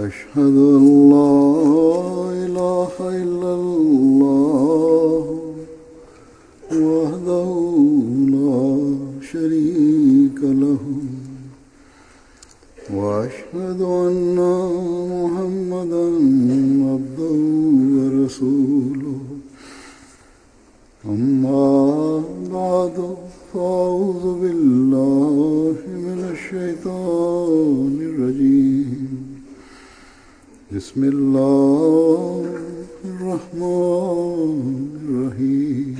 أشهد أن لا إله إلا الله وحده لا شريك له وأشهد أن محمدا عبده ورسوله أما بعد فأعوذ بالله من الشيطان الرجيم بسم الله الرحمن الرحيم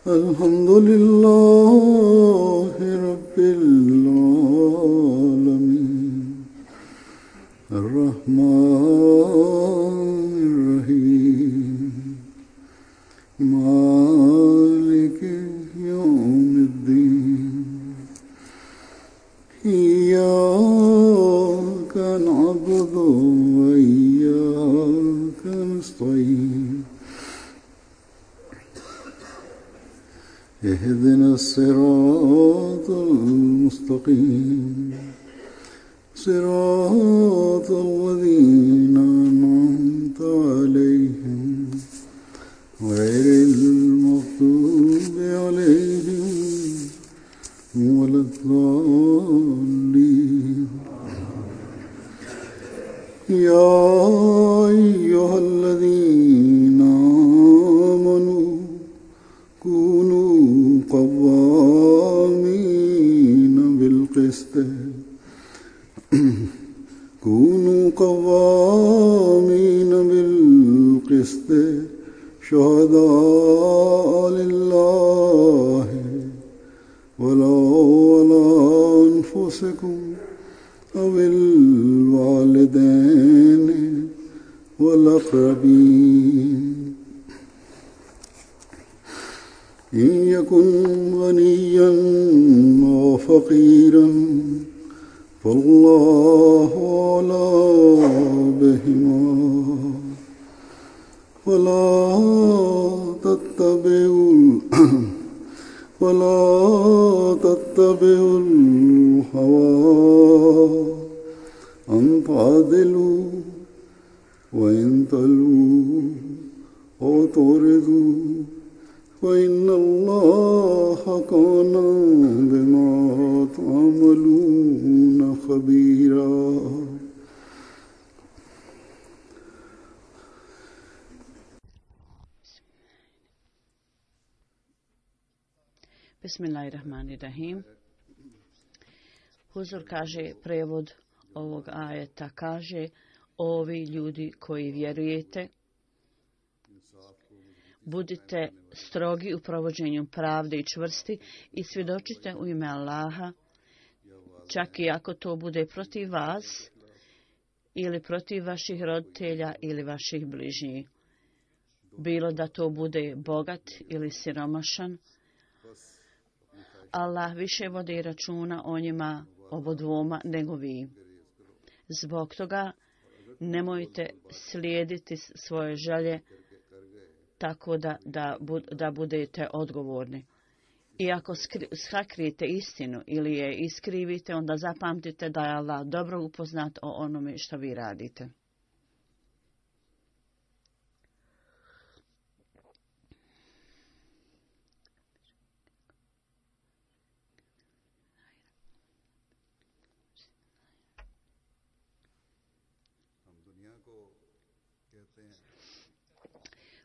الحمد لله رب العالمين الرحمن الرحيم مالك يوم الدين إياك نعبد وإياك نستعين اهدنا الصراط المستقيم صراط الذين أنعمت عليهم غير المغضوب عليهم ولا الضالين يا أيها الذين آمنوا كونوا قوامين بالقسط شهداء لله ولو على أنفسكم أو الوالدين والأقربين إن يكن غنيا أو فقيرا فالله أولى بهما ولا تتبعوا الهوى أن تعدلوا وإن تلووا أو تعرضوا فإن الله كان بما تعملون خبيرا Bismillahirrahmanirrahim. Huzur kaže, prevod ovog ajeta kaže: ovi ljudi koji vjerujete, budite strogi u provođenju pravde i čvrsti i svjedočite u ime Allaha, čak i ako to bude protiv vas ili protiv vaših roditelja ili vaših bližnjih. Bilo da to bude bogat ili siromašan, Allah više vodi računa o njima obodvoma nego vi. Zbog toga nemojte slijediti svoje želje tako da budete odgovorni. I ako sakrijete istinu ili je iskrivite, onda zapamtite da je Allah dobro upoznat o onome što vi radite.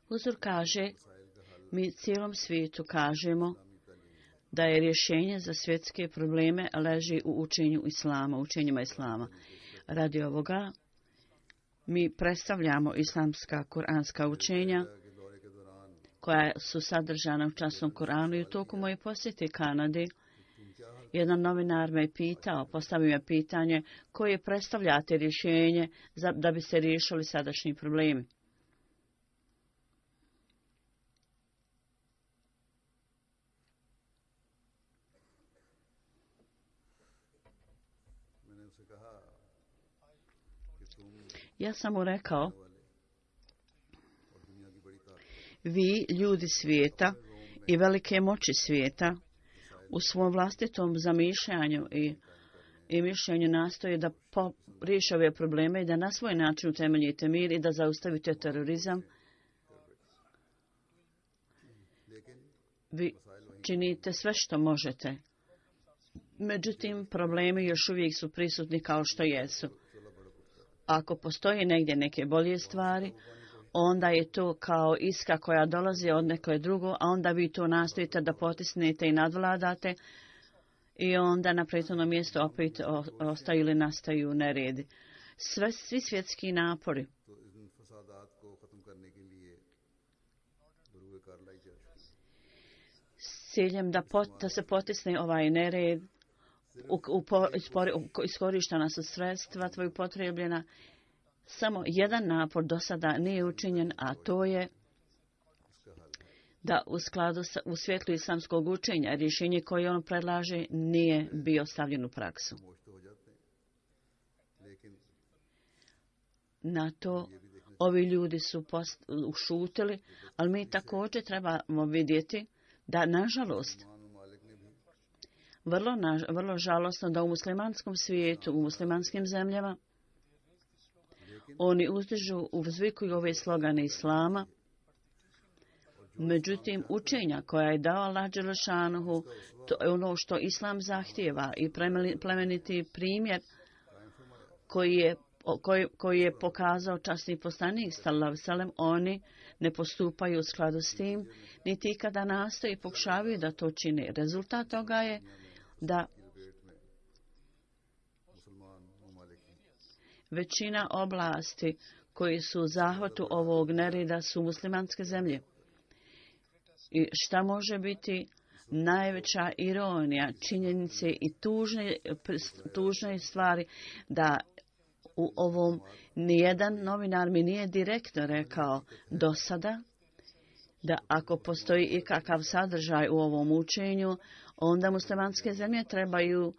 Huzur kaže, mi cijelom svijetu kažemo da je rješenje za svjetske probleme leži u učenjima Islama. Radi ovoga mi predstavljamo islamska kuranska učenja koja su sadržana u časnom Kuranu i u toku moje posjete Kanadi jedan novinar me postavio je pitanje koje predstavljate rješenje da bi se riješili sadašnji problemi. Ja sam mu rekao, vi ljudi svijeta i velike moći svijeta u svom vlastitom zamišljanju i i mišljenju nastoji da riješi ove probleme i da na svoj način utemeljite mir i da zaustavite terorizam. Vi činite sve što možete. Međutim, problemi još uvijek su prisutni kao što jesu. Ako postoji negdje neke bolje stvari, onda je to kao iskra koja dolazi od nekog drugog, a onda vi to nastojite da potisnete i nadvladate i onda na prethodno mjesto opet ostaju ili nastaju neredi. Svi svjetski napori s ciljem da se potisne ovaj nered, iskorištena su sredstva tvoju potrebljena. Samo jedan napor do sada nije učinjen, a to je da u svjetlu islamskog učenja rješenje koje on predlaže nije bio stavljen u praksu. Na to ovi ljudi su ušutili, ali mi također trebamo vidjeti da, nažalost, vrlo žalosno da u muslimanskom svijetu, u muslimanskim zemljama, oni uzvikuju ove slogane islama, međutim učenja koja je dao Allah dželešanuhu, to je ono što islam zahtijeva i plemeniti primjer koji je pokazao časni poslanik sallallahu alejhi ve sellem, oni ne postupaju u skladu s tim, niti kada nastoji i pokušavaju da to čine. Rezultat toga je da većina oblasti koji su u zahvatu ovog nereda su muslimanske zemlje. I šta može biti najveća ironija, činjenice i tužne stvari da u ovom nijedan novinar mi nije direktno rekao do sada da ako postoji ikakav sadržaj u ovom učenju, onda muslimanske zemlje trebaju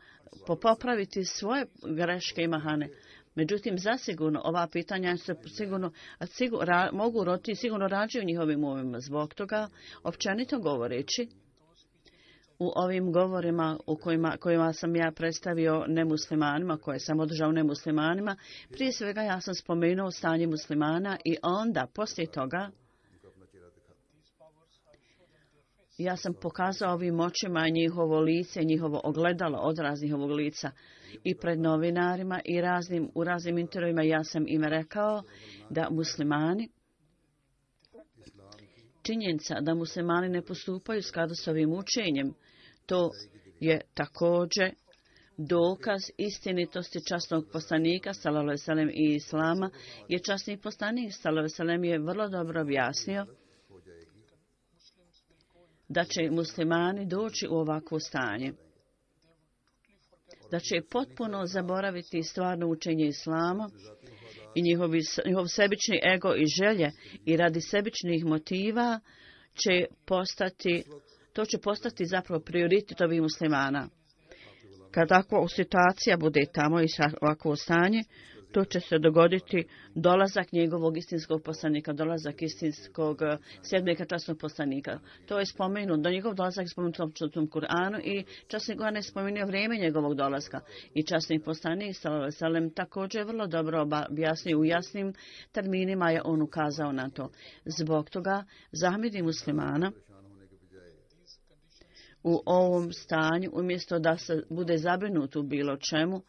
popraviti svoje greške i mahane. Međutim, zasigurno ova pitanja se mogu roditi, sigurno rađaju njihovim umima. Zbog toga, općenito govoreći, u ovim govorima kojima sam ja predstavio nemuslimanima, koje sam održao nemuslimanima, prije svega ja sam spomenuo stanje muslimana i onda, poslije toga, ja sam pokazao ovim očima njihovo lice, njihovo ogledalo, odraz njihovog lica i pred novinarima i u raznim intervjuima ja sam im rekao da muslimani, činjenica da muslimani ne postupaju u skladu s ovim učenjem, to je također dokaz istinitosti časnog poslanika sallallahu alejhi ve sellem i islama, jer časni poslanik sallallahu alejhi ve sellem je vrlo dobro objasnio da će muslimani doći u ovakvo stanje, da će potpuno zaboraviti stvarno učenje islama i njihov sebični ego i želje i radi sebičnih motiva to će postati zapravo prioritet ovih muslimana. Kad takva situacija bude tamo i ovakvo stanje, to će se dogoditi dolazak njegovog istinskog poslanika, dolazak istinskog sljedbenika časnog poslanika. To je spomenuto, da njegov dolazak je spomenut u Kur'anu i časnik Kur'an je spomenuo vrijeme njegovog dolaska. I časni poslanik sallallahu alejhi ve sellem također vrlo dobro objasnio, u jasnim terminima je on ukazao na to. Zbog toga zahmidi muslimana u ovom stanju, umjesto da se bude zabrinut u bilo čemu,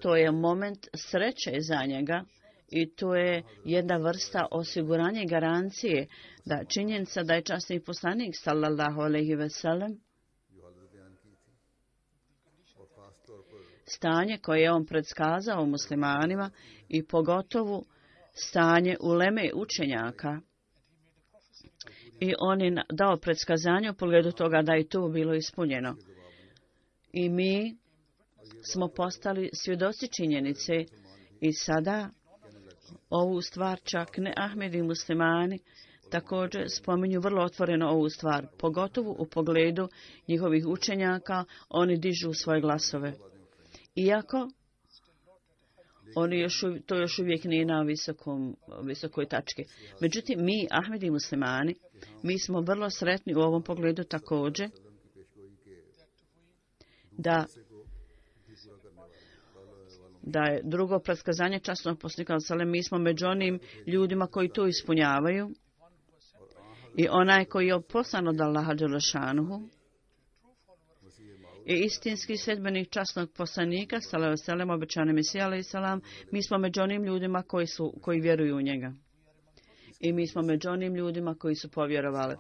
to je moment sreće za njega i to je jedna vrsta osiguranja i garancije da činjenica da je časni poslanik sallallahu alejhi ve sellem stanje koje je on predskazao muslimanima i pogotovo stanje uleme učenjaka. I on je dao predskazanje u pogledu toga da je to bilo ispunjeno. I mi smo postali svjedoci činjenice i sada ovu stvar čak ne Ahmedi muslimani također spominju vrlo otvoreno ovu stvar, pogotovo u pogledu njihovih učenjaka, oni dižu svoje glasove. Iako to još uvijek nije na visokoj tački. Međutim, mi, Ahmedi muslimani, mi smo vrlo sretni u ovom pogledu također da da je drugo predskazanje časnog poslanika sallallahu mi smo među onim ljudima koji to ispunjavaju i onaj koji je poslan od Allaha dželešanuhu i istinski sledbenik časnog poslanika sallallahu alejhi ve sellem, obećani Mesija alejhi selam, mi smo među onim ljudima koji vjeruju u njega. I mi smo među onim ljudima koji su povjerovali.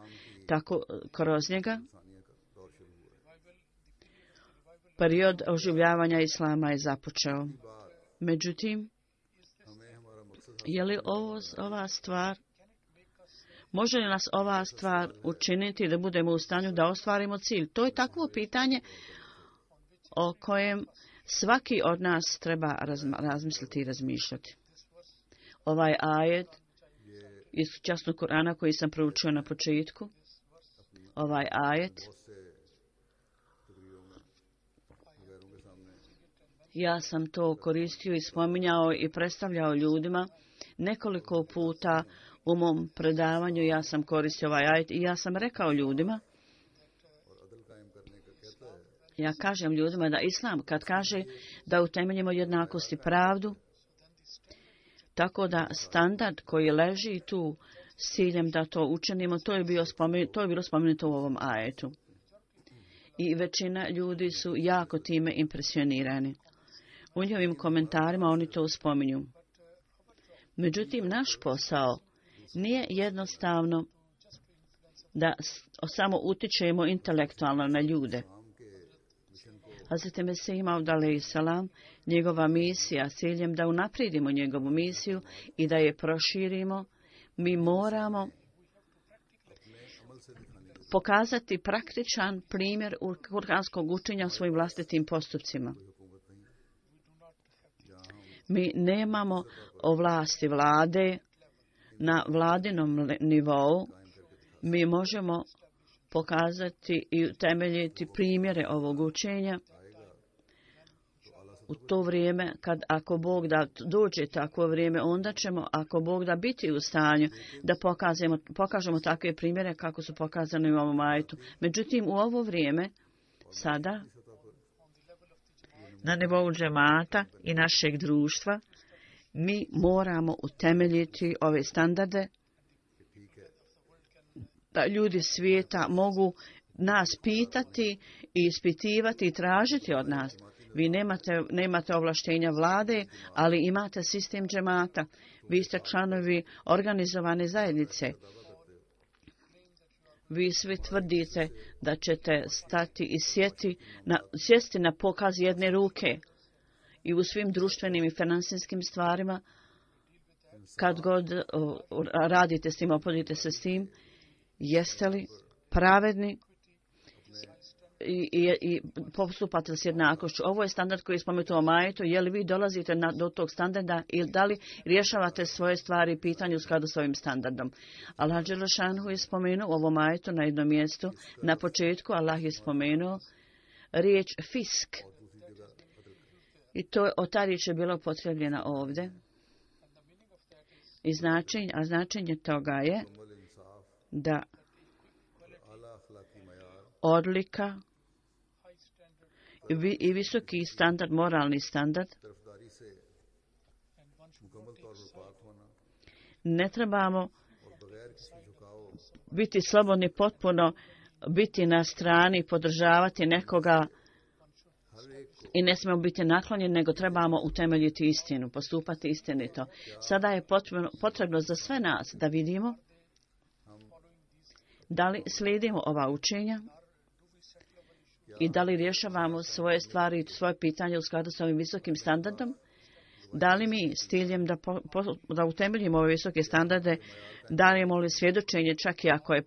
Tako kroz njega period oživljavanja islama je započeo. Međutim, je li ova stvar, može li nas ova stvar učiniti da budemo u stanju da ostvarimo cilj? To je takvo pitanje o kojem svaki od nas treba razmisliti i razmišljati. Ovaj ajet iz časnog Kur'ana koji sam proučio na početku, ovaj ajet, ja sam to koristio i spominjao i predstavljao ljudima nekoliko puta u mom predavanju. Ja sam koristio ovaj ajet i ja sam rekao ljudima, ja kažem ljudima da Islam kad kaže da utemeljimo jednakost i pravdu, tako da standard koji leži tu s ciljem da to učinimo, to je bilo spomenuto u ovom ajetu. I većina ljudi su jako time impresionirani. U njihovim komentarima oni to spominju. Međutim, naš posao nije jednostavno da samo utičemo intelektualno na ljude. Hazreti Mesih Maud alejhi selam, njegova misija s ciljem da unaprijedimo njegovu misiju i da je proširimo, mi moramo pokazati praktičan primjer kuranskog učenja svojim vlastitim postupcima. Mi nemamo ovlasti vlade na vladinom nivou. Mi možemo pokazati i utemeljiti primjere ovog učenja u to vrijeme ako Bog da dođe takvo vrijeme, onda ćemo, ako Bog da, biti u stanju da pokažemo takve primjere kako su pokazani u ovom ajetu. Međutim, u ovo vrijeme, sada, na nivou džemata i našeg društva, mi moramo utemeljiti ove standarde da ljudi svijeta mogu nas pitati i ispitivati i tražiti od nas. Vi nemate ovlaštenja vlade, ali imate sistem džemata. Vi ste članovi organizovane zajednice. Vi svi tvrdite da ćete stati i sjesti na pokaz jedne ruke i u svim društvenim i finansijskim stvarima, kad god radite s tim, opodite se s tim, jeste li pravedni i postupate s jednakošću. Ovo je standard koji je spomenuto u ajetu. Je li vi dolazite do tog standarda ili da li rješavate svoje stvari i pitanje u skladu s ovim standardom? Allah dželešanhu je spomenuo u ovom ajetu na jednom mjestu. Na početku Allah je spomenuo riječ fisk. I ta riječ je bila upotrebljena ovdje. I značenje toga je da odlika i visoki standard, moralni standard, ne trebamo biti slobodni potpuno, biti na strani, podržavati nekoga i ne smijemo biti naklonjeni, nego trebamo utemeljiti istinu, postupati istinito. Sada je potrebno za sve nas da vidimo da li slijedimo ova učenja i da li rješavamo svoje stvari i svoje pitanje u skladu s ovim visokim standardom. Da li mi s ciljem da utemeljimo ove visoke standarde, dajemo li svjedočenje čak i ako je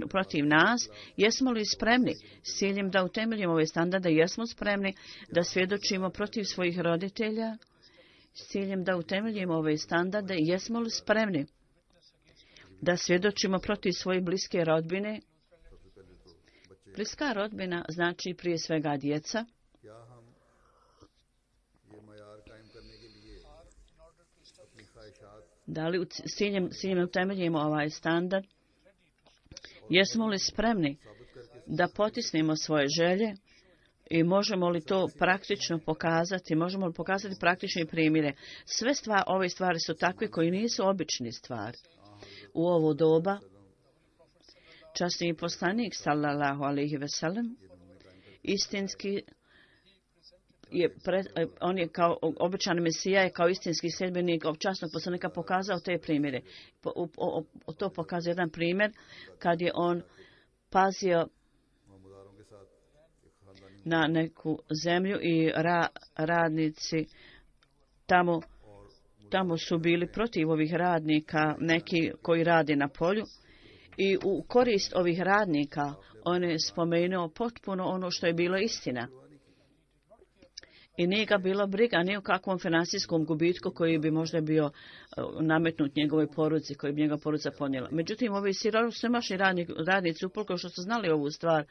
protiv nas, jesmo li spremni s ciljem da utemeljimo ove standarde, jesmo spremni da svjedočimo protiv svojih roditelja, s ciljem da utemeljimo ove standarde, jesmo li spremni da svjedočimo protiv svoje bliske rodbine. Bliska rodbina znači prije svega djeca. Da li s ciljem utemeljimo ovaj standard? Jesmo li spremni da potisnemo svoje želje I možemo li to praktično pokazati? Možemo li pokazati praktične primjere? Ove stvari su takve koji nisu obični stvari. U ovo doba časni poslanik sallallahu alejhi ve sellem istinski on je kao obećani Mesija, je kao istinski sljedbenik časnog poslanika pokazao te primjere. To pokazuje jedan primjer kad je on pazio na neku zemlju i radnici tamo su bili protiv ovih radnika, neki koji rade na polju, i u korist ovih radnika on je spomenuo potpuno ono što je bilo istina. I nije ga bilo briga ni o kakvom financijskom gubitku koji bi možda bio nametnut njegovoj poruci, koji bi njegova poruca ponijela. Međutim, ovi siromašni radnici, upravo što su znali ovu stvar,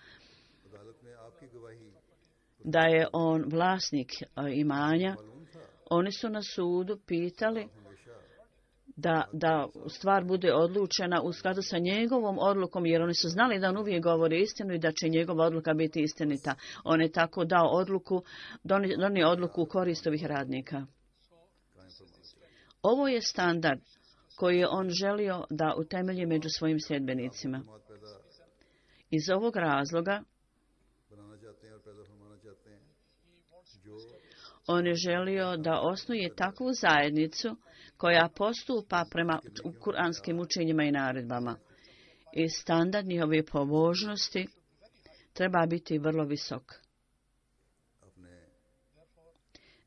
da je on vlasnik imanja, oni su na sudu pitali da stvar bude odlučena u skladu sa njegovom odlukom, jer oni su znali da on uvijek govori istinu i da će njegova odluka biti istinita. On je tako donio odluku u korist ovih radnika. Ovo je standard koji je on želio da utemelji među svojim sljedbenicima. Iz ovog razloga on je želio da osnuje takvu zajednicu koja postupa prema kuranskim učenjima i naredbama. I standard njihove pobožnosti treba biti vrlo visok.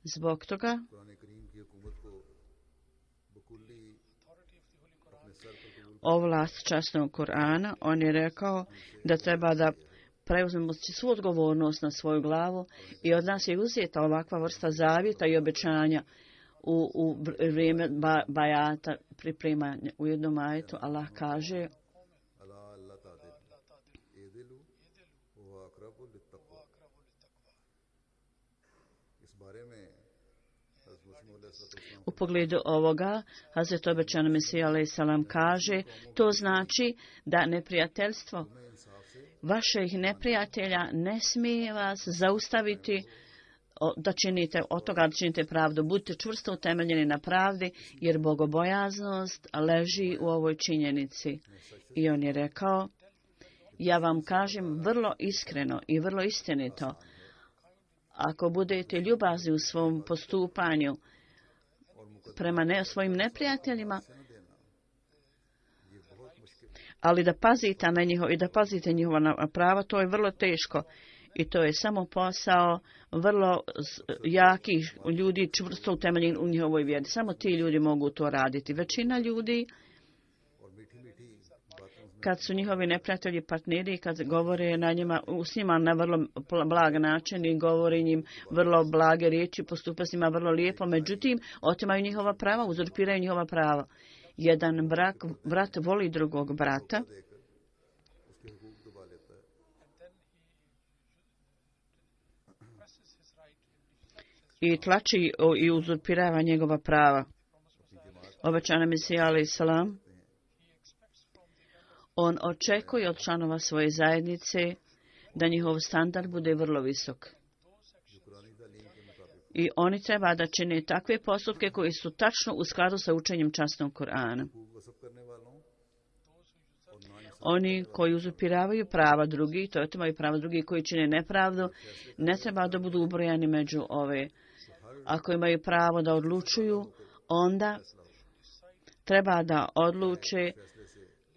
Zbog toga ovlast časnog Kur'ana, on je rekao da treba da preuzmemo svu odgovornost na svoju glavu i od nas je uzeta ovakva vrsta zavjeta i obećanja u vrijeme bajata pripremanja. U jednom ajetu Allah kaže: u pogledu ovoga, Hazret obećani Mesija alejhi selam kaže, to znači da neprijateljstvo vaših neprijatelja ne smije vas zaustaviti da činite pravdu. Budite čvrsto utemeljeni na pravdi, jer bogobojaznost leži u ovoj činjenici. I on je rekao: ja vam kažem vrlo iskreno i vrlo istinito, ako budete ljubazni u svom postupanju prema svojim neprijateljima, ali da pazite na njihov i da pazite njihova prava, to je vrlo teško i to je samo posao vrlo jakih ljudi, čvrsto utemeljeni u njihovoj vjeri. Samo ti ljudi mogu to raditi. Većina ljudi, kad su njihovi neprijatelji partneri, kad govore s njima na vrlo blag način i govore njim vrlo blage riječi, postupa s njima vrlo lijepo, međutim, otimaju njihova prava, uzurpiraju njihova prava. Jedan brat voli drugog brata i tlači i uzurpirava njegova prava. Obećani Mesija alejhi selam, on očekuje od članova svoje zajednice da njihov standard bude vrlo visok. I oni treba da čine takve postupke koji su tačno u skladu sa učenjem časnog Kur'ana. Oni koji uzurpiravaju prava drugih, to otimaju prava drugih, koji čine nepravdu, ne treba da budu ubrojani među ove. Ako imaju pravo da odlučuju, onda treba da odluče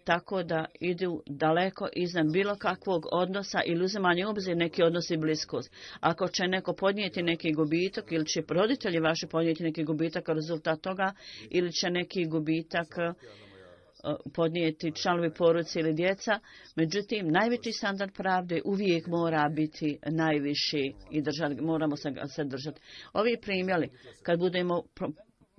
tako da idu daleko iznad bilo kakvog odnosa ili uzimanje u obzir neki odnosi bliskost. Ako će neko podnijeti neki gubitak ili će roditelji vaši podnijeti neki gubitak kao rezultat toga, ili će neki gubitak podnijeti članovi porodice ili djeca, međutim najveći standard pravde uvijek mora biti najviši i moramo se držati. Ovi primjeri, kad budemo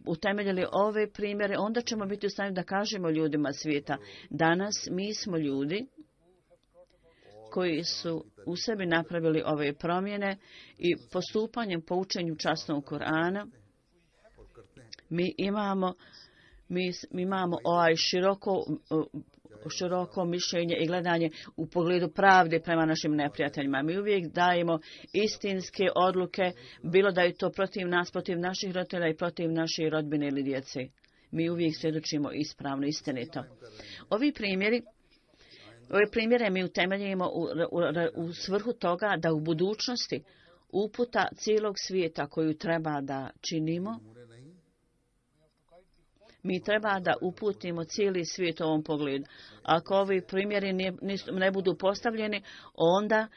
utemeljili ove primjere, onda ćemo biti u stanju da kažemo ljudima svijeta: danas mi smo ljudi koji su u sebi napravili ove promjene i postupanjem po učenju časnog Kur'ana mi imamo Mi imamo ovaj široko mišljenje i gledanje u pogledu pravde prema našim neprijateljima. Mi uvijek dajemo istinske odluke, bilo da je to protiv nas, protiv naših roditelja i protiv naših rodbine ili djece. Mi uvijek svjedočimo ispravno, istinito. Ove primjere mi utemeljujemo u svrhu toga da u budućnosti uputa cijelog svijeta koju treba da činimo, mi treba da uputimo cijeli svijet u ovom pogledu. Ako ovi primjeri ne budu postavljeni, onda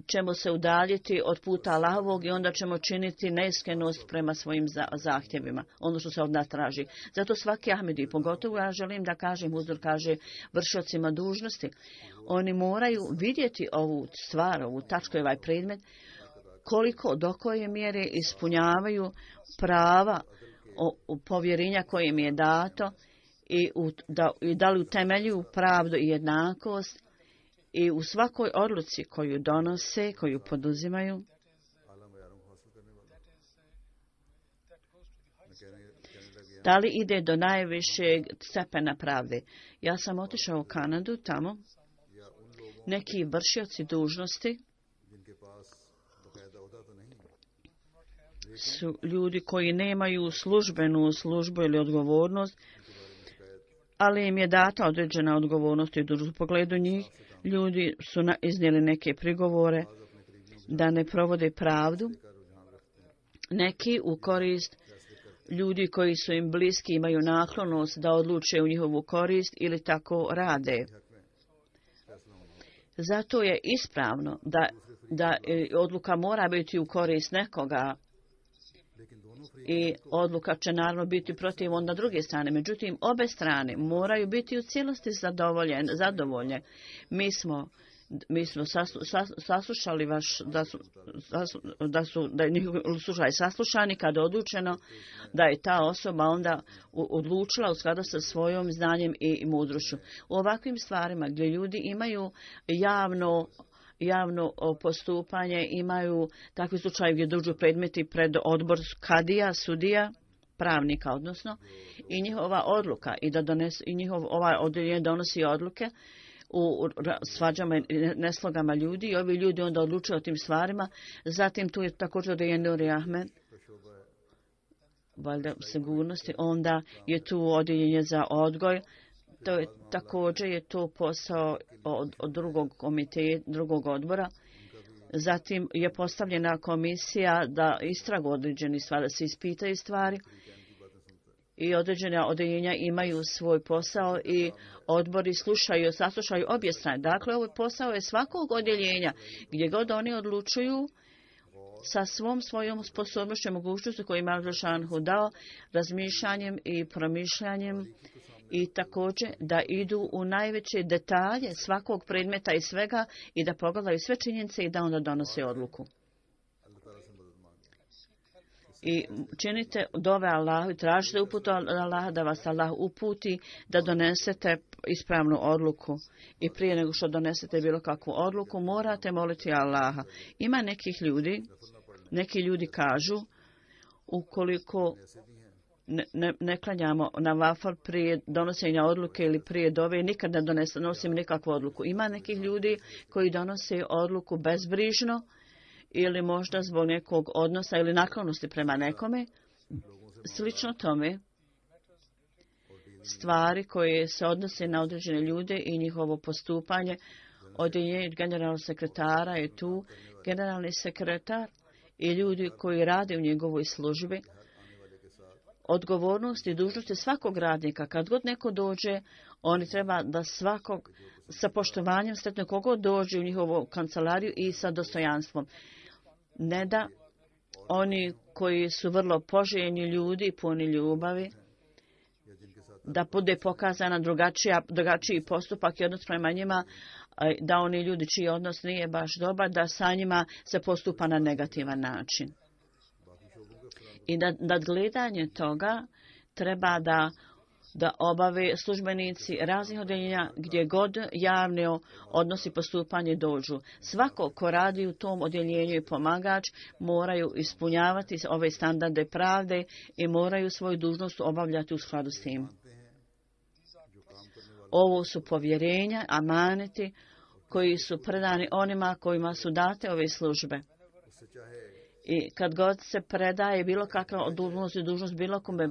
ćemo se udaljiti od puta Allahovog i onda ćemo činiti neiskrenost prema svojim zahtjevima, ono što se od nas traži. Zato svaki Ahmedi, pogotovo ja želim da kažem, Huzur kaže vršiocima dužnosti, oni moraju vidjeti ovu stvar, ovu tačku, ovaj predmet, koliko, do koje mjere ispunjavaju prava povjerenja koje im je dato i da li utemeljuju pravdu i jednakost i u svakoj odluci koju donose, koju poduzimaju, da li ide do najvišeg stepena pravde. Ja sam otišao u Kanadu, tamo neki vršioci dužnosti su ljudi koji nemaju službenu službu ili odgovornost, ali im je data određena odgovornost i dužnost. U pogledu njih ljudi su iznijeli neke prigovore da ne provode pravdu. Neki u korist ljudi koji su im bliski imaju naklonost da odluče u njihovu korist ili tako rade. Zato je ispravno da odluka mora biti u korist nekoga i odluka će naravno biti protiv onda druge strane. Međutim, obe strane moraju biti u cijelosti zadovoljne. Mi smo saslušali da je njihov slušaj saslušani kada je odlučeno da je ta osoba onda odlučila u skladu sa svojom znanjem i mudrošću. U ovakvim stvarima gdje ljudi imaju javno postupanje, imaju takvi slučajevi gdje dođu predmeti pred odbor kadija, sudija, pravnika odnosno, i njihova odluka i ovaj odjeljenje donosi odluke u svađama i neslogama ljudi i ovi ljudi onda odlučuju o tim stvarima. Zatim tu je također Nuri Ahmed, valjda sigurnosti, onda je tu odjeljenje za odgoj. Također je to posao od drugog odbora. Zatim je postavljena komisija da istragu određeni stvari, da se ispitaju stvari i određena odjeljenja imaju svoj posao i odbori saslušaju obje strane. Dakle, ovaj posao je svakog odjeljenja gdje god oni odlučuju sa svojom sposobnošću i mogućnosti koju ima Al-Šanhu dao, razmišljanjem i promišljanjem i također da idu u najveće detalje svakog predmeta i svega i da pogledaju sve činjenice i da onda donose odluku. I činite dove Allahu i tražite uputu Allaha da vas Allah uputi da donesete ispravnu odluku. I prije nego što donesete bilo kakvu odluku morate moliti Allaha. Ima neki ljudi kažu ukoliko ne klanjamo na vafar prije donosenja odluke ili prije dove, nikad ne donosim nikakvu odluku. Ima nekih ljudi koji donose odluku bezbrižno ili možda zbog nekog odnosa ili naklonosti prema nekome. Slično tome, stvari koje se odnose na određene ljude i njihovo postupanje, odjeljenje generalnog sekretara je tu, generalni sekretar i ljudi koji rade u njegovoj službi. Odgovornost i dužnosti svakog radnika, kad god neko dođe, oni treba da svakog sa poštovanjem sretno kogod dođe u njihovu kancelariju i sa dostojanstvom. Ne da oni koji su vrlo poželjni ljudi, puni ljubavi, da bude pokazana drugačiji postupak i odnos prema njima, da oni ljudi čiji odnos nije baš dobar, da sa njima se postupa na negativan način. I da gledanje toga treba da obave službenici raznih odjeljenja gdje god javni odnosi postupanje dođu. Svako ko radi u tom odjeljenju i pomagač moraju ispunjavati ove standarde pravde i moraju svoju dužnost obavljati u skladu s tim. Ovo su povjerenja, amaneti koji su predani onima kojima su date ove službe. I kad god se predaje bilo kakva dužnost bilo kome,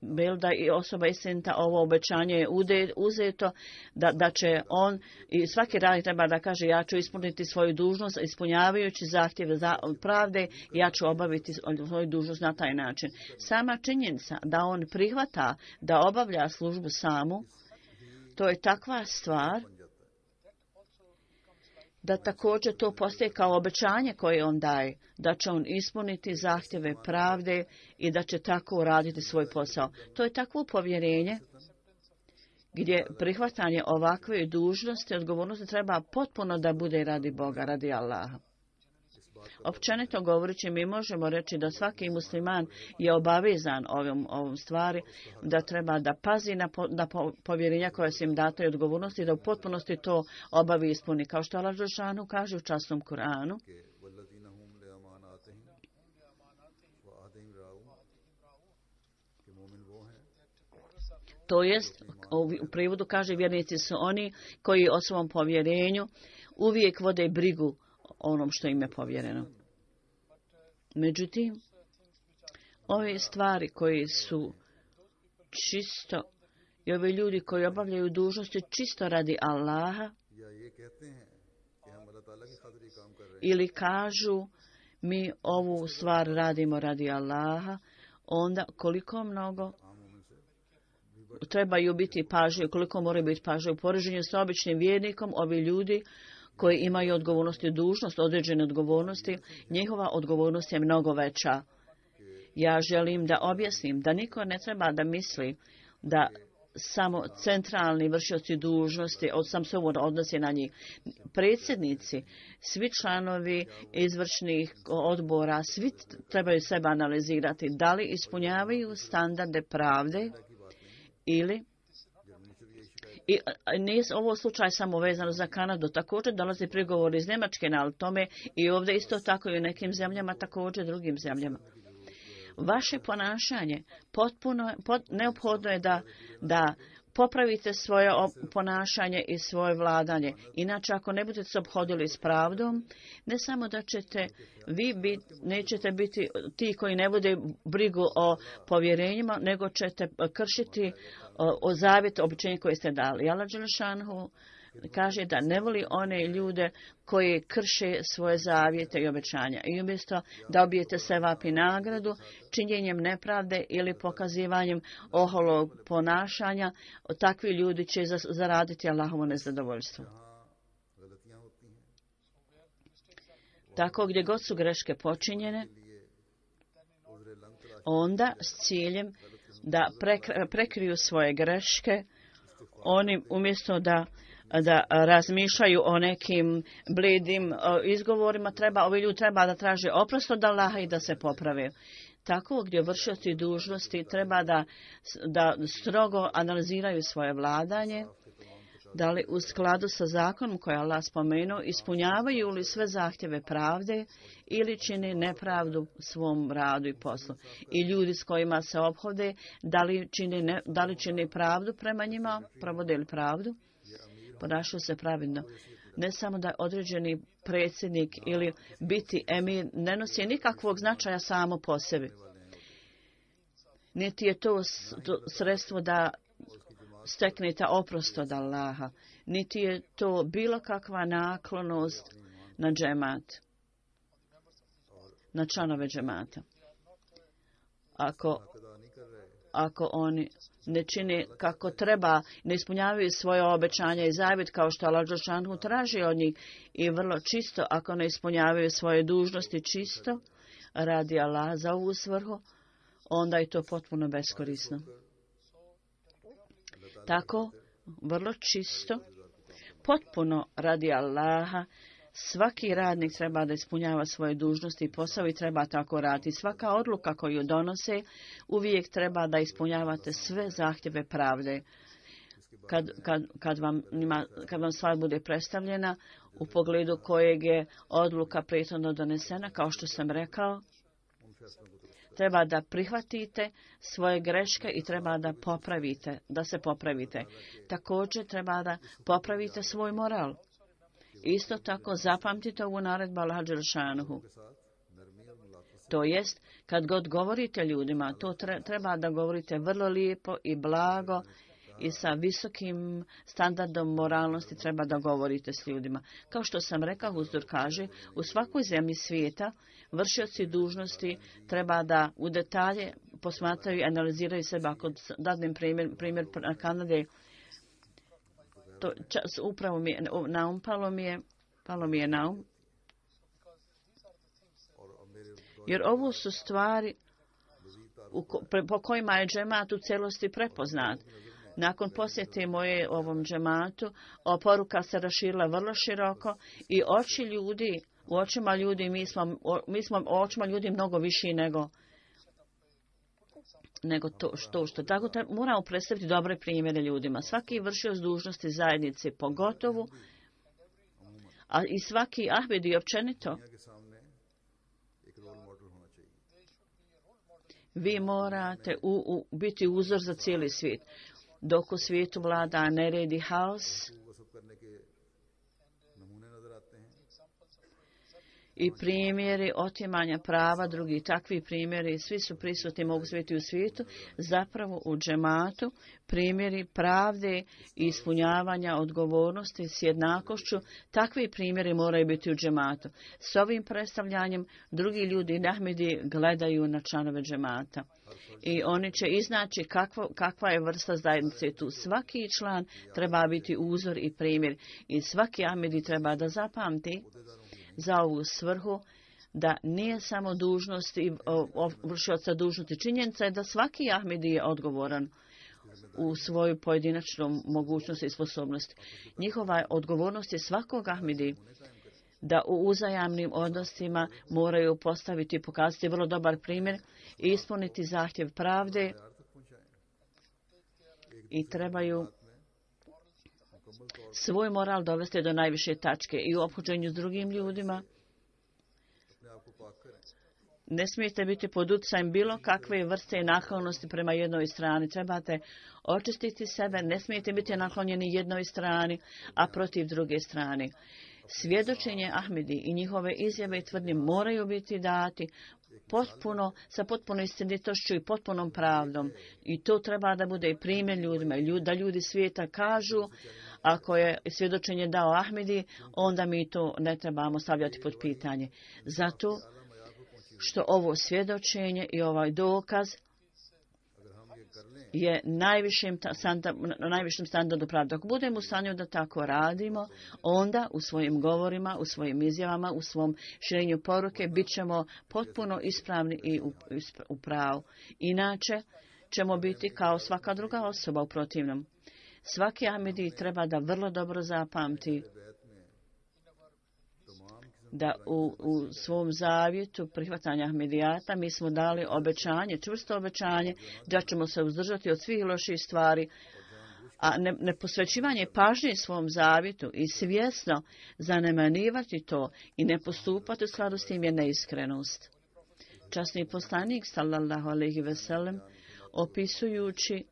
bilo da i osoba istinita, ovo obećanje je uzeto, da će on, i svaki radnik treba da kaže ja ću ispuniti svoju dužnost, ispunjavajući zahtjeve za pravde, ja ću obaviti svoju dužnost na taj način. Sama činjenica da on prihvata da obavlja službu samu, to je takva stvar da također to postaje kao obećanje koje on daje, da će on ispuniti zahtjeve pravde i da će tako uraditi svoj posao. To je takvo povjerenje gdje prihvatanje ovakve dužnosti, odgovornosti treba potpuno da bude radi Boga, radi Allaha. Općenito govoreći, mi možemo reći da svaki musliman je obavezan ovom stvari, da treba da pazi na povjerenja koja se im data i odgovornosti, da u potpunosti to obavi i ispuni. Kao što Allah dželešanu kaže u časnom Kur'anu, to jest, u prijevodu kaže, vjernici su oni koji o svom povjerenju uvijek vode brigu onom što im je povjereno. Međutim, ove stvari koje su čisto i ovi ljudi koji obavljaju dužnosti čisto radi Allaha ili kažu mi ovu stvar radimo radi Allaha, onda koliko mnogo trebaju biti pažljivi, koliko moraju biti pažljivi u poređenju s običnim vjernikom, ovi ljudi koji imaju odgovornosti i dužnost, određene odgovornosti, njihova odgovornost je mnogo veća. Ja želim da objasnim da niko ne treba da misli da samo centralni vršioci dužnosti, sam se ovo odnosi na njih. Predsjednici, svi članovi izvršnih odbora, svi trebaju sebe analizirati da li ispunjavaju standarde pravde ili i nije ovo slučaj samo vezano za Kanadu, također dolaze prigovori iz Njemačke na tome i ovdje isto tako i u nekim zemljama, također drugim zemljama. Vaše ponašanje neophodno je da popravite svoje ponašanje i svoje vladanje. Inače, ako ne budete se ophodili s pravdom, ne samo da ćete nećete biti ti koji ne vode brigu o povjerenjima, nego ćete kršiti o zavjet, običaje koje ste dali. Allah dželešanu kaže da ne voli one ljude koji krše svoje zavjete i obećanja. I umjesto da dobijete sevap i nagradu, činjenjem nepravde ili pokazivanjem oholog ponašanja, takvi ljudi će zaraditi Allahovo nezadovoljstvo. Tako gdje god su greške počinjene, onda s ciljem da prekriju svoje greške, oni umjesto da razmišljaju o nekim blidim izgovorima, ovi ljudi treba da traže oprost od Allaha i da se poprave. Tako gdje vršioci dužnosti treba da strogo analiziraju svoje vladanje, da li u skladu sa zakonom koji je Allah spomenuo, ispunjavaju li sve zahtjeve pravde ili čini nepravdu svom radu i poslu. I ljudi s kojima se ophode, da li čini pravdu prema njima, provode li pravdu, ponašaju se pravilno. Ne samo da određeni predsjednik ili biti emir ne nosi nikakvog značaja samo po sebi. Niti je to sredstvo da steknete oprost od Allaha, niti je to bilo kakva naklonost na džemat, na članove džemata. Ako oni ne čine kako treba, ne ispunjavaju svoje obećanja i zavjet kao što Allah dželešanu traži od njih i vrlo čisto, ako ne ispunjavaju svoje dužnosti čisto radi Allaha za ovu svrhu, onda je to potpuno beskorisno. Tako, vrlo čisto, potpuno radi Allaha, svaki radnik treba da ispunjava svoje dužnosti i posao i treba tako raditi. Svaka odluka koju donose, uvijek treba da ispunjavate sve zahtjeve pravde. Kad vam stvar bude predstavljena, u pogledu kojeg je odluka prethodno donesena, kao što sam rekao, Treba da prihvatite svoje greške i treba da se popravite. Također treba da popravite svoj moral. Isto tako zapamtite ovu naredbu Allaha dželešanuhu. To jest, kad god govorite ljudima, to treba da govorite vrlo lijepo i blago i sa visokim standardom moralnosti treba da govorite s ljudima. Kao što sam rekao, Huzur kaže, u svakoj zemlji svijeta vršioci dužnosti treba da u detalje posmatraju i analiziraju sebe. Ako dadnem primjer Kanade, to upravo mi je naum, palo mi je naum. Jer ovo su stvari po kojima je džemat u celosti prepoznat. Nakon posjete moje ovom džematu, poruka se raširila vrlo široko i u očima ljudi mi smo u očima ljudi mnogo viši nego to što. Tako da moramo predstaviti dobre primjere ljudima. Svaki vršioc dužnosti zajednice pogotovo, a i svaki ahmedi općenito. Vi morate biti uzor za cijeli svijet. Dok u svijetu vlada nered i haos i primjeri otimanja prava drugih, takvi primjeri, svi su prisutni, mogu biti u svijetu, zapravo u džematu primjeri pravde i ispunjavanja odgovornosti s jednakošću, takvi primjeri moraju biti u džematu. S ovim predstavljanjem drugi ljudi Ahmedi gledaju na članove džemata i oni će iznaći kakva je vrsta zajednice tu. Svaki član treba biti uzor i primjer i svaki Ahmedi treba da zapamti za ovu svrhu da nije samo dužnost i vršioca dužnosti. Činjenica je da svaki Ahmedi je odgovoran u svoju pojedinačnu mogućnost i sposobnost. Njihova odgovornost je svakog Ahmedi da u uzajamnim odnosima moraju postaviti i pokazati vrlo dobar primjer i ispuniti zahtjev pravde i trebaju svoj moral dovesti do najviše tačke i u ophođenju s drugim ljudima. Ne smijete biti pod utjecajem bilo kakve vrste i naklonosti prema jednoj strani. Trebate očistiti sebe, ne smijete biti naklonjeni jednoj strani, a protiv druge strane. Svjedočenje Ahmedi i njihove izjave i tvrdnje moraju biti dati sa potpuno istinitošću i potpunom pravdom. I to treba da bude primjer ljudima, da ljudi svijeta kažu, ako je svjedočenje dao Ahmedi, onda mi to ne trebamo stavljati pod pitanje. Zato što ovo svjedočenje i ovaj dokaz je najvišem standardu pravde. Ako budemo u stanju da tako radimo, onda u svojim govorima, u svojim izjavama, u svom širenju poruke bit ćemo potpuno ispravni i u pravu. Inače ćemo biti kao svaka druga osoba u protivnom. Svaki Ahmedi treba da vrlo dobro zapamti da u svom zavjetu prihvatanja Ahmedijata mi smo dali obećanje, čvrsto obećanje da ćemo se uzdržati od svih loših stvari, a neposvećivanje pažnje svom zavjetu i svjesno zanemarivati to i ne postupati u skladu s tim je neiskrenost. Časni poslanik sallallahu alejhi ve sellem opisujući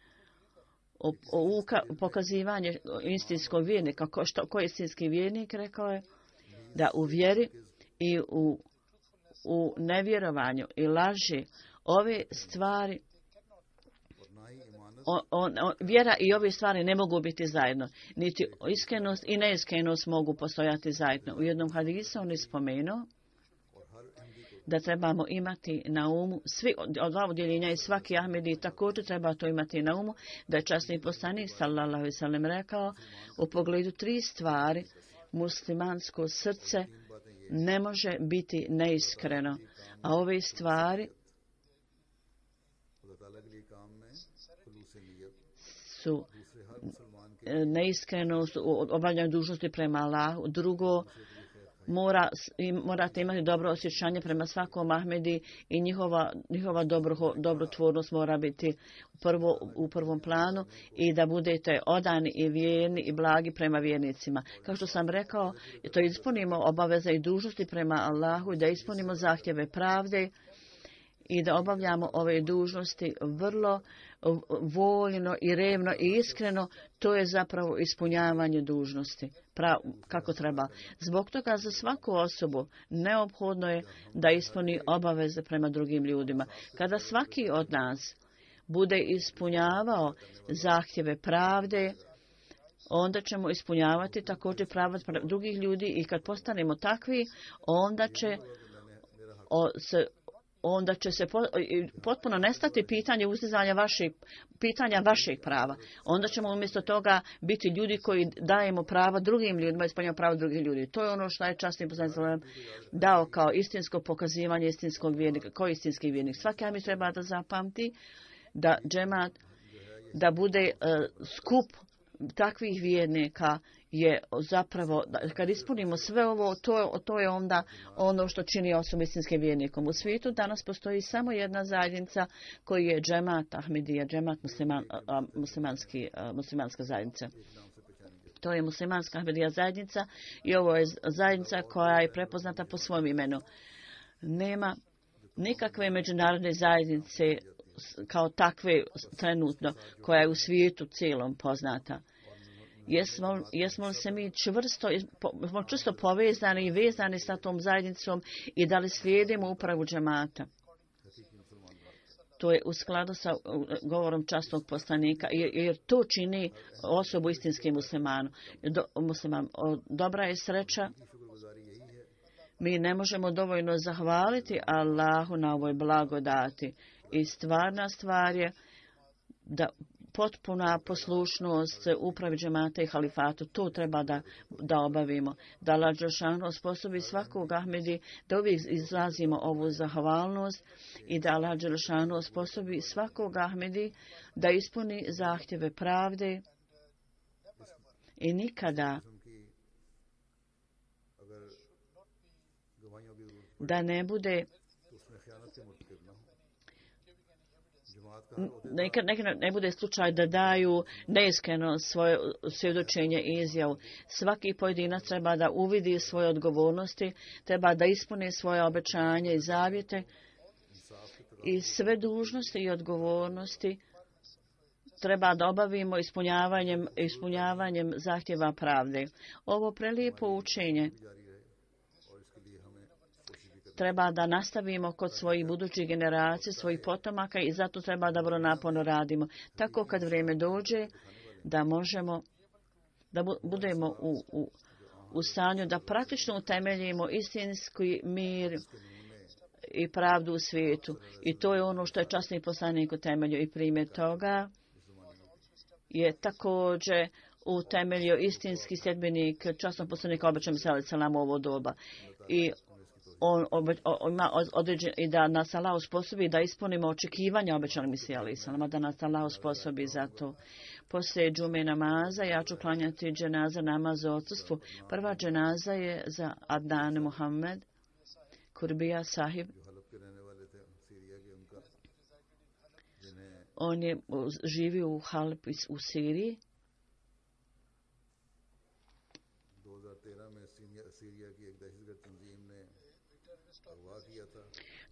pokazivanje istinskog vjernika, ko je istinski vjernik, rekao je da u vjeri i u nevjerovanju i laži ove stvari, vjera i ove stvari ne mogu biti zajedno. Niti iskrenost i neiskrenost mogu postojati zajedno. U jednom hadisu on je spomenuo da trebamo imati na umu svi od dva udjeljenja i svaki Ahmedi također treba to imati na umu, da je časni poslanik sallallahu alejhi ve sellem rekao u pogledu 3 stvari muslimansko srce ne može biti neiskreno, a ove stvari su neiskrenost u obavljanju dužnosti prema Allahu. Drugo, morate imati dobro osjećanje prema svakom Ahmedi i njihova dobrotvornost mora biti u prvom planu i da budete odani i vjerni i blagi prema vjernicima. Kao što sam rekao, to ispunimo obaveze i dužnosti prema Allahu i da ispunimo zahtjeve pravde i da obavljamo ove dužnosti vrlo voljno i revno i iskreno, to je zapravo ispunjavanje dužnosti kako treba. Zbog toga za svaku osobu neophodno je da ispuni obaveze prema drugim ljudima. Kada svaki od nas bude ispunjavao zahtjeve pravde, onda ćemo ispunjavati također prava drugih ljudi i kad postanemo takvi, onda će se potpuno nestati pitanje ustizanja pitanja vašeg prava. Onda ćemo umjesto toga biti ljudi koji dajemo prava drugim ljudima, ispunjamo prava drugih ljudi. To je ono što je časni poslanik dao kao istinsko pokazivanje istinskog vjernika, kao istinski vjernik. Svaki ami treba da zapamti da džemat, da bude skup takvih vjernika je zapravo, kad ispunimo sve ovo, to je onda ono što čini osobu istinskim vjernikom. U svijetu danas postoji samo jedna zajednica koji je džemat Ahmedija, džemat muslimanska zajednica. To je muslimanska Ahmedija zajednica i ovo je zajednica koja je prepoznata po svom imenu. Nema nikakve međunarodne zajednice kao takve trenutno koja je u svijetu cijelom poznata. Jesmo li se mi čvrsto povezani i vezani sa tom zajednicom i da li slijedimo upravu džemata? To je u skladu sa govorom časnog poslanika, jer to čini osobu istinskim muslimanom. Dobra je sreća. Mi ne možemo dovoljno zahvaliti Allahu na ovoj blagodati. I stvarna stvar je da potpuna poslušnost upravi džemata i halifatu, to treba da obavimo. Da Allah dželešanu osposobi svakog Ahmedi da uvijek izrazimo ovu zahvalnost i da Allah dželešanu osposobi svakog Ahmedi da ispuni zahtjeve pravde i nikada da ne bude ne bude slučaj da daju neiskreno svoje svjedočenje i izjavu. Svaki pojedinac treba da uvidi svoje odgovornosti, treba da ispuni svoje obećanje i zavjete i sve dužnosti i odgovornosti treba da obavimo ispunjavanjem zahtjeva pravde. Ovo prelijepo učenje treba da nastavimo kod svojih budućih generacija, svojih potomaka i zato treba da vrlo naporno radimo. Tako kad vrijeme dođe da možemo, da budemo u stanju da praktično utemeljimo istinski mir i pravdu u svijetu. I to je ono što je časni poslanik utemeljio i primjer toga je također utemeljio istinski sljedbenik časnog poslanika obećanog sallallahu u ovo doba. I on ima određen i da nas Allah usposobi da ispunimo očekivanja obećanog Mesija alejhi selama, da nas Allah usposobi za to. Poslije džume namaza ja ću klanjati dženaza namaz u odsustvu. Prva dženaza je za Adnan Muhammed Kurbija sahib. On je živio u Halep u Siriji.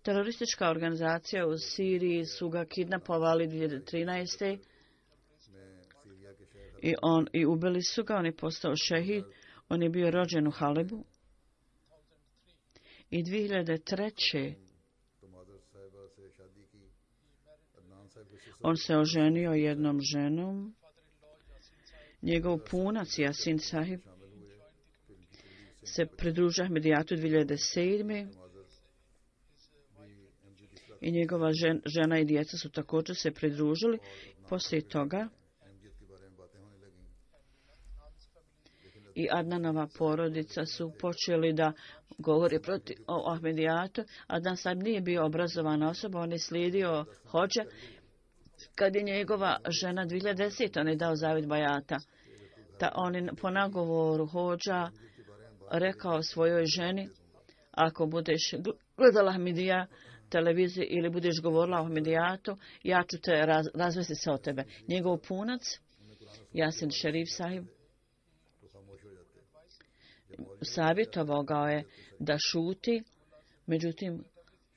Teroristička organizacija u Siriji su ga kidnapovali 2013. I ubili su ga, on je postao šehid, on je bio rođen u Halebu. I 2003. on se oženio jednom ženom. Njegov punac Jasin sahib se pridružio Ahmedijatu 2007. I njegova žena i djeca su također se pridružili. Poslije toga i Adnanova porodica su počeli da govori protiv Ahmedijatu. Adnan sahib nije bio obrazovana osoba, on je slijedio hođa. Kad je njegova žena 2010. on je dao zavjet bajata, on je po nagovoru hođa rekao svojoj ženi, ako budeš gledala Ahmedija televiziju ili budeš govorila o Ahmedijatu, ja ću te razvesti se od tebe. Njegov punac, Jasin Šerif sahib, savjetovao ga je da šuti, međutim,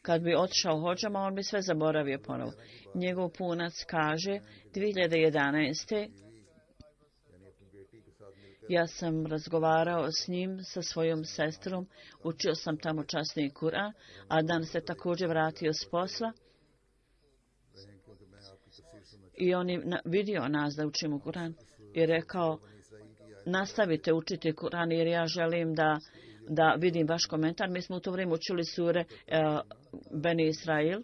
kad bi otišao hođama, on bi sve zaboravio ponovo. Njegov punac kaže, 2011. ja sam razgovarao s njim, sa svojom sestrom, učio sam tamo časni Kur'an, a dan se također vratio s posla i on je vidio nas da učimo Kur'an i rekao, nastavite učiti Kur'an jer ja želim da vidim vaš komentar. Mi smo u to vrijeme učili sure Beni Israil,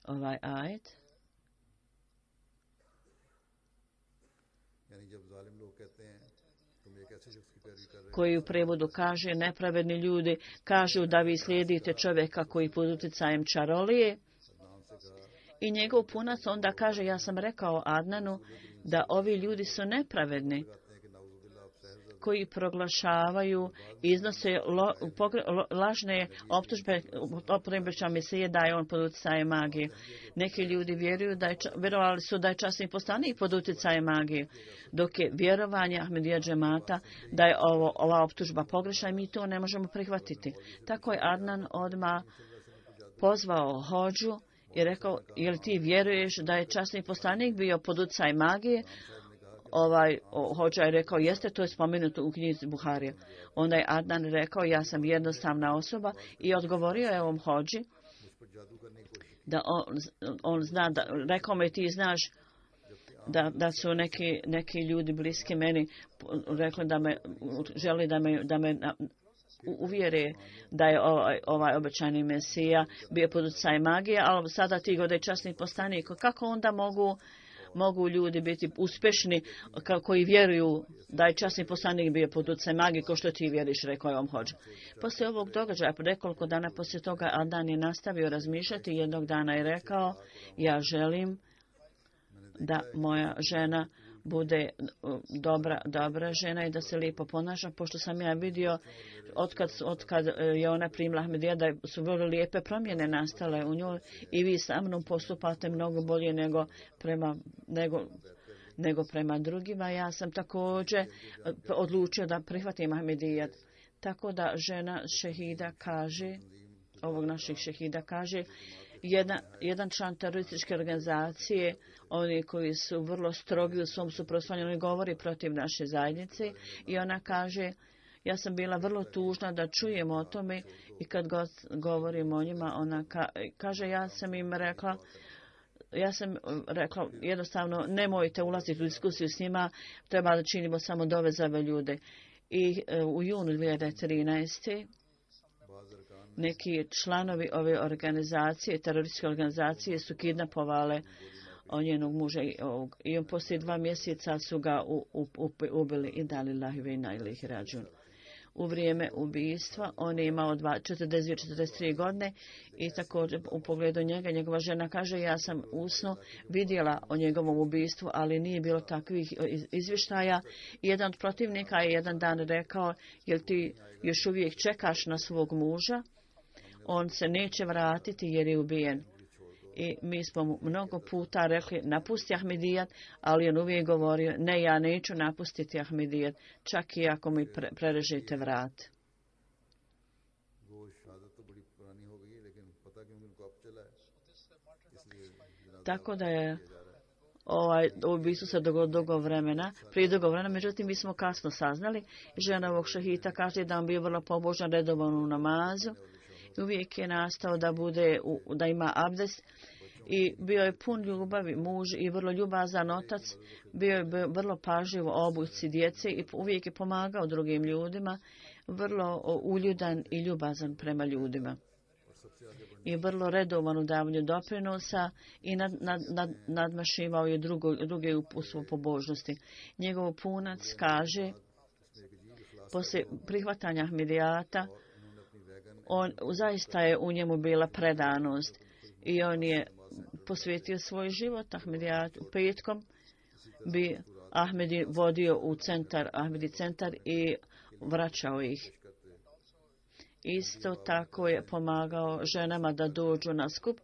ovaj ajet, koji u prevodu kaže, nepravedni ljudi kažu da vi slijedite čovjeka koji pod utjecajem čarolije. I njegov punac onda kaže, ja sam rekao Adnanu da ovi ljudi su nepravedni, koji proglašavaju, iznose lažne optužbe optužbeća Mesije da je on pod utjecajem magije. Neki ljudi vjerovali su da je časni poslanik pod utjecajem magije, dok je vjerovanje Ahmedija džemata da je ova optužba pogrešna i mi to ne možemo prihvatiti. Tako je Adnan odmah pozvao hođu i rekao, jel ti vjeruješ da je časni poslanik bio pod utjecajem magije? Hođa je rekao, jeste, to je spomenuto u knjizi Buharija. Onda je Adnan rekao, ja sam jednostavna osoba i odgovorio je ovom hođi da on zna, rekao me ti znaš da su neki ljudi bliski meni rekli da me želi da me uvjere da je ovaj obećani Mesija bio pod utjecajem magije, ali sada ti god je časni poslanik. Kako onda mogu ljudi biti uspješni koji vjeruju da je časni poslanik bio pod utjecajem magije, kao što ti vjeriš, rekao je hođa. Poslije ovog događaja, nekoliko dana poslije toga, Adnan je nastavio razmišljati i jednog dana je rekao, ja želim da moja žena bude dobra žena i da se lijepo ponaša, pošto sam ja vidio otkad je ona primila Ahmedija da su vrlo lijepe promjene nastale u njoj i vi sa mnom postupate mnogo bolje nego prema drugima. Ja sam također odlučio da prihvatim Ahmedijat. Tako da žena šehida kaže, ovog naših šehida kaže, jedan član terorističke organizacije, oni koji su vrlo strogi u svom suprotstavljanju, oni govori protiv naše zajednice i ona kaže, ja sam bila vrlo tužna da čujem o tome i kad govorim o njima, ona kaže, ja sam im rekla jednostavno nemojte ulaziti u diskusiju s njima, treba da činimo samo dove za ove ljude. I u junu 2013. neki članovi ove organizacije, terorističke organizacije, su kidnapovale njenog muža i on poslije 2 mjeseca su ga ubili i dali lahive i najlih rađun. U vrijeme ubijstva on je imao 42-43 godine i također u pogledu njegova žena kaže, ja sam usno vidjela o njegovom ubijstvu, ali nije bilo takvih izvještaja. Jedan od protivnika je jedan dan rekao, jel ti još uvijek čekaš na svog muža? On se neće vratiti jer je ubijen. I mi smo mu mnogo puta rekli, napusti Ahmedijat, ali on uvijek govorio, ne, ja neću napustiti Ahmedijat, čak i ako mi prerežete vrat. Tako da je ubijstvo se dogodilo prije dugo vremena, međutim mi smo kasno saznali. Žena ovog šehita kaže da on bio vrlo pobožan, redovan u namazu. Uvijek je nastao da ima abdest i bio je pun ljubavi muž i vrlo ljubazan otac, bio je vrlo pažljiv u obuci djece i uvijek je pomagao drugim ljudima, vrlo uljudan i ljubazan prema ljudima. I vrlo redovan u davanju doprinosa i nadmašivao je druge u svoj pobožnosti. Njegov punac kaže, poslije prihvatanja Ahmedijata, zaista je u njemu bila predanost i on je posvetio svoj život Ahmedijatu. Petkom bi Ahmedi vodio u Ahmedi centar i vraćao ih. Isto tako je pomagao ženama da dođu na skup.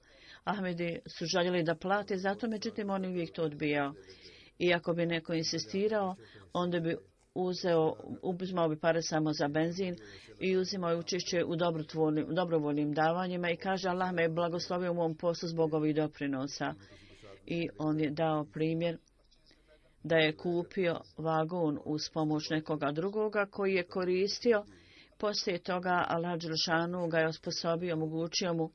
Ahmedi su željeli da plate zato, međutim on uvijek to odbijao. I ako bi neko insistirao, onda bi uzimao bi pare samo za benzin i uzimao učešće u dobrovoljnim davanjima i kaže Allah me je blagoslovio u mom poslu zbog ovih doprinosa. I on je dao primjer da je kupio vagon uz pomoć nekoga drugoga koji je koristio. Poslije toga Allah dželešanu ga je osposobio, omogućio mu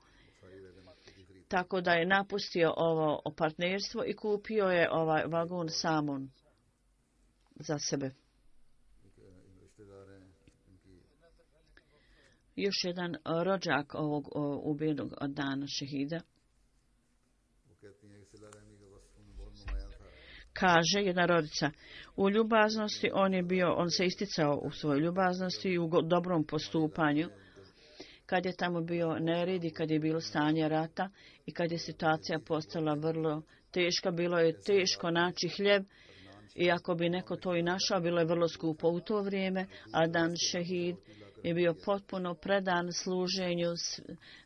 tako da je napustio ovo partnerstvo i kupio je ovaj vagon samon za sebe. Još jedan rođak ovog ubijenog od dana šehida kaže jedna rodica, u ljubaznosti on se isticao u svojoj ljubaznosti i u dobrom postupanju. Kad je tamo bio nered i kad je bilo stanje rata i kad je situacija postala vrlo teška, bilo je teško naći hljeb i ako bi neko to i našao, bilo je vrlo skupo u to vrijeme, a dan šehid je bio potpuno predan služenju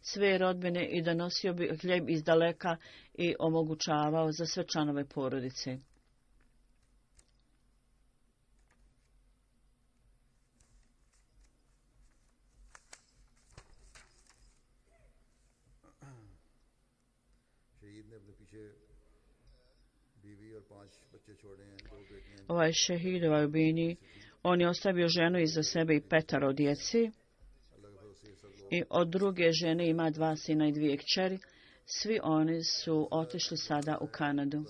sve rodbine i donosio bi hljeb iz daleka i omogućavao za sve članove porodice. Ovaj šehid, ovaj ubijeni, on je ostavio ženu iza sebe i 5 djeci i od druge žene ima 2 sina i 2 kćeri. Svi oni su otišli sada u Kanadu.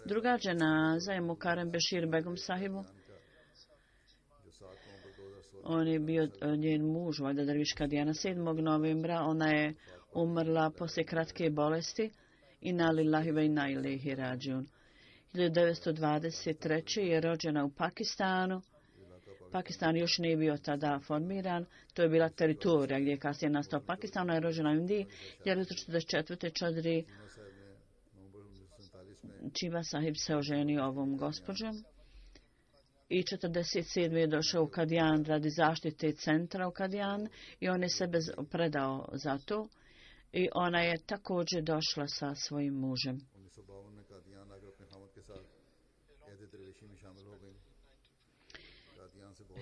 Druga dženaza je Mukarem Bešir Begum sahibu. On je bio njen muž, valjda Derviška Dijana. 7. novembra ona je umrla poslije kratke bolesti. Inna lillahi wa inna ilaihi rađiun. 1923. je rođena u Pakistanu. Pakistan još nije bio tada formiran. To je bila teritorija gdje je kasnije nastao Pakistan. Ona je rođena u Indiji. 1944. Čodri Čiba sahib se oženio ovom gospođom. I 1947. je došao u Kadijan radi zaštite centra u Kadijan i on je sebe predao za to. I ona je također došla sa svojim mužem.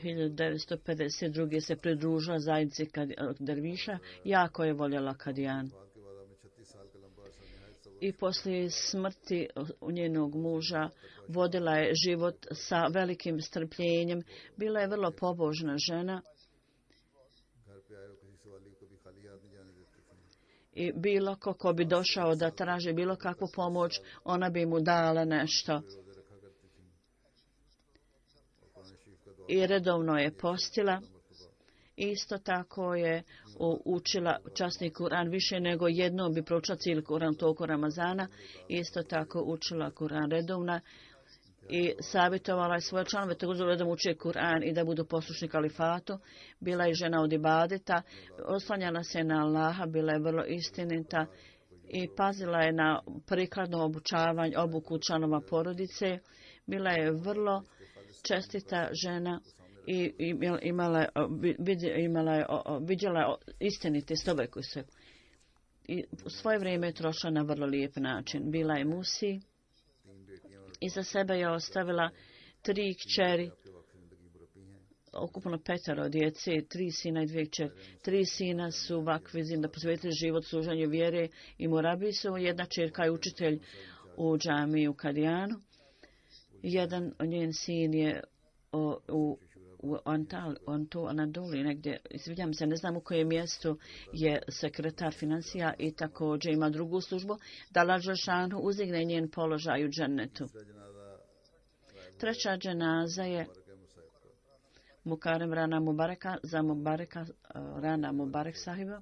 1952. se pridružila zajednici derviša, jako je voljela Kadijan. I poslije smrti njenog muža vodila je život sa velikim strpljenjem. Bila je vrlo pobožna žena. I bilo ko bi došao da traži bilo kakvu pomoć, ona bi mu dala nešto. I redovno je postila. Isto tako je učila časni Kur'an više nego jednom bi proučila cijeli Kur'an toku Ramazana. Isto tako učila Kur'an redovna i savjetovala je svoje članove također da uče Kur'an i da budu poslušni kalifatu. Bila je žena od ibadeta, oslanjala se na Allaha, bila je vrlo istinita i pazila je na prikladno obučavanje, obuku članova porodice. Bila je vrlo čestita žena i vidjela je istinite stove koje se i u svoje vrijeme je trošila na vrlo lijep način. Bila je musi i za sebe je ostavila 3 kćeri, ukupno 5 djece, 3 sina i 2 kćeri. 3 sina su vakvizim da posvetili život služenju vjere i morabi su. Jedna kćerka je učitelj u džamiji u Kadijanu. Jedan njen sin je u Anadoli negdje, izvinjam se, ne znam u kojem mjestu je sekretar financija i također ima drugu službu, da Allah dželešanu uzigne njen položaj u džennetu. 3. dženaza je Mukarem Rana Mubareka za Mubareka Rana Mubarek sahiba,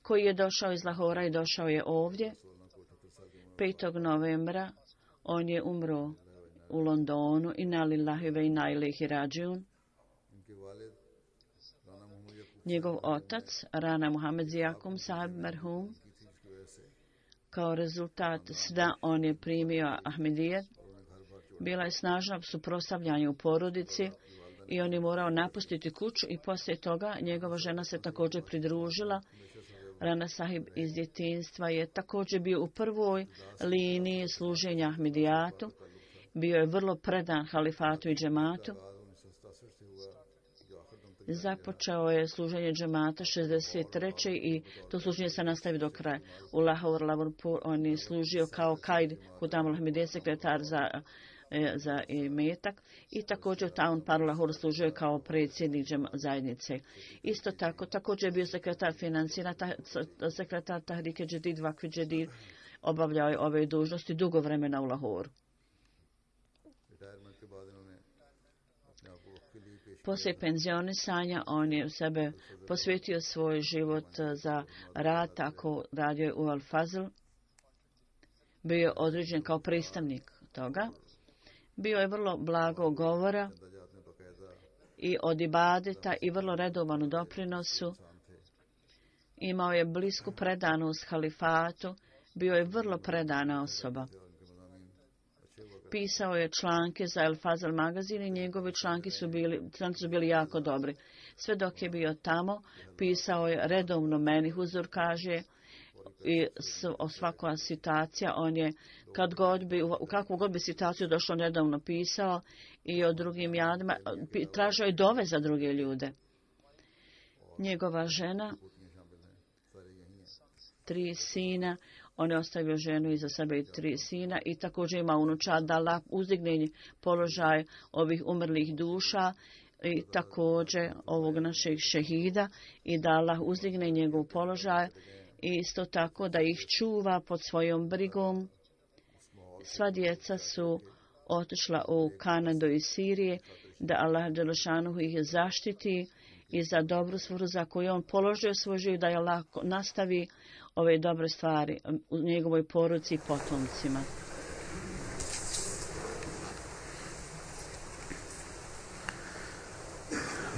koji je došao iz Lahora i došao je ovdje. 5. novembra on je umro u Londonu. Inna lillahi wa inna ilaihi rađiun. Njegov otac, Rana Muhammed Zijakum sahib merhum, kao rezultat sda on je primio Ahmedijet. Bila je snažna suprotstavljanje u porodici i on je morao napustiti kuću i poslije toga njegova žena se također pridružila. Rana sahib iz djetinjstva je također bio u prvoj liniji služenja Ahmedijatu. Bio je vrlo predan halifatu i džematu. Započeo je služenje džemata 63. i to služenje se nastavi do kraja. U Lahore, Lavorpur, on je služio kao kaid Hudam al-Hamidije, sekretar za imetak, i također u Town Park Lahore služio je kao predsjednik zajednice. Isto tako, također je bio sekretar financija, sekretar Tahrike Jadid, Vakfi Jadid, obavljao je ove dužnosti dugo vremena u Lahoru. Poslije penzionisanja on je u sebe posvetio svoj život za rad, tako radio je u Al-Fazl. Bio je određen kao predstavnik toga. Bio je vrlo blago govora i od ibadeta i vrlo redovan u doprinosu. Imao je blisku predanost halifatu. Bio je vrlo predana osoba. Pisao je članke za El Fazl magazin i njegove članke su bili jako dobri. Sve dok je bio tamo, pisao je redovno meni, Huzur kaže, i svaka situacija, on je, u kakvu god bi situaciju došlo, redovno pisao i o drugim jadima, tražio je dove za druge ljude. Njegova žena, 3 sina, on je ostavio ženu iza sebe i 3 sina i također ima unučad, da Allah uzdigne položaj ovih umrlih duša i također ovog našeg šehida i da Allah uzdigne njegov položaj i isto tako da ih čuva pod svojom brigom. Sva djeca su otišla u Kanadu i Sirije, da Allah dželešanu ih zaštiti i za dobru svrhu za koju on položio svoj život, da je Allah nastavi ove dobre stvari u njegovoj poruci i potomcima.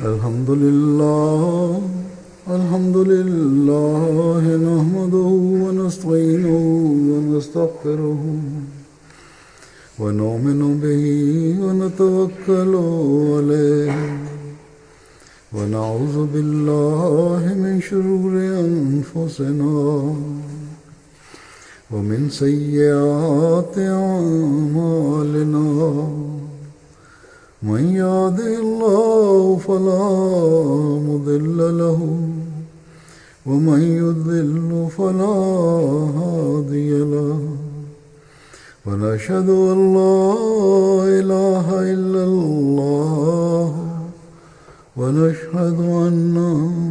Alhamdulillah, nahmaduhu wa nasta'inuhu wa nastaghfiruhu wa nu'minu bihi wa natawakkalu alayhi. ونعوذ بالله من شرور أنفسنا ومن سيئات أعمالنا من يهده الله فلا مضل له ومن يضلل فلا هادي له ونشهد أن لا إله إلا الله ونشهد أن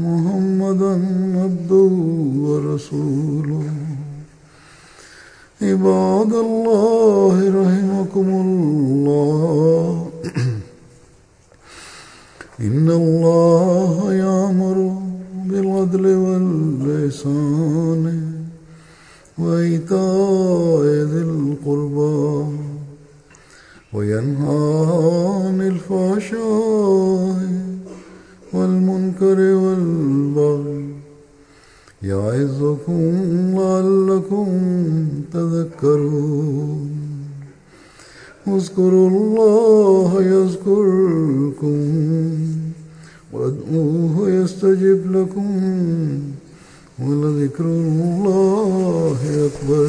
محمدا عبده ورسوله عباد الله رحمكم الله إن الله يأمر بالعدل والإحسان وإيتاء ذي القربى وينهى عن الفحشاء والمنكر والبغي يعظكم لعلكم تذكرون اذكروا الله يذكركم وادعوه يستجب لكم ولذكر الله أكبر.